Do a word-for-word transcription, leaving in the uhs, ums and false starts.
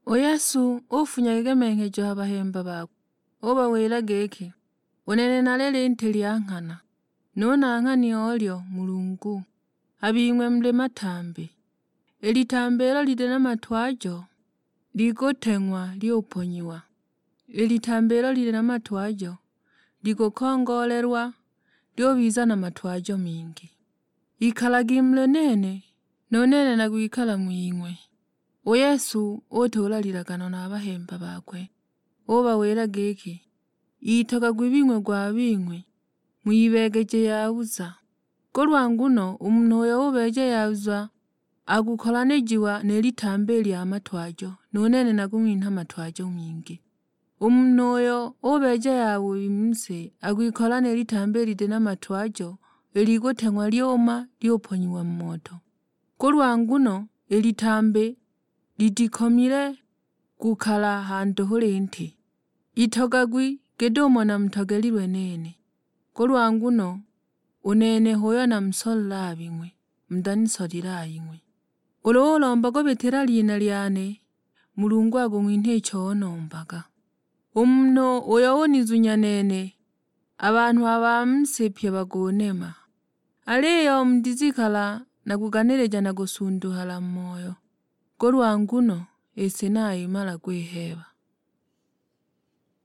U Yesu ufunya gegemenghejo ha bahemba bakwe, ubawila giki, "U nene nali linti lya nghana, nu nang'hani olyo Mulungu, a bing'we muli matambi. I litambi ilo lili na matwajo likuteng'wa lyuponyiwa, i litambi ilo lili na matwajo likukongoolelwa lyubiza na matwajo mingi. Ikalagi muli nene, nu nene nakwikala ng'wing'we." U Yesu utuula lilagano na a bahemba bakwe, ubawila giki, "Itogagwi bing'we gwa bing'we, muyibeegeje yawiza. Kulwa nguno u munhu uyo ubeeja yawiza akukolanijiwa ni litambi lya matwajo, nu nene nakung'winha matwajo mingi. U munhu uyo ubeeja yabubi mu si akwikola ni litambi liti na matwajo, ilikuteng'wa lyuma lyuponyiwa mu moto. Kulwa nguno i litambi litikomile kukala ha nduhu linti. Itogagwi git'umo namutogelilwe nene, kulwa nguno u nene h'uyo namusolile a bing'we, mutanisolile a bing'we. Ulu ulomba kubitila lina lyane, Mulungu akung'winha icho unombaga. U munhu uyo unizunya nene, a banhu a ba mu si pye bakunema. Aliyo mutizikala na kuganilija na kusunduhala mu moyo, kulwa nguno i si nayimala kwiheeba."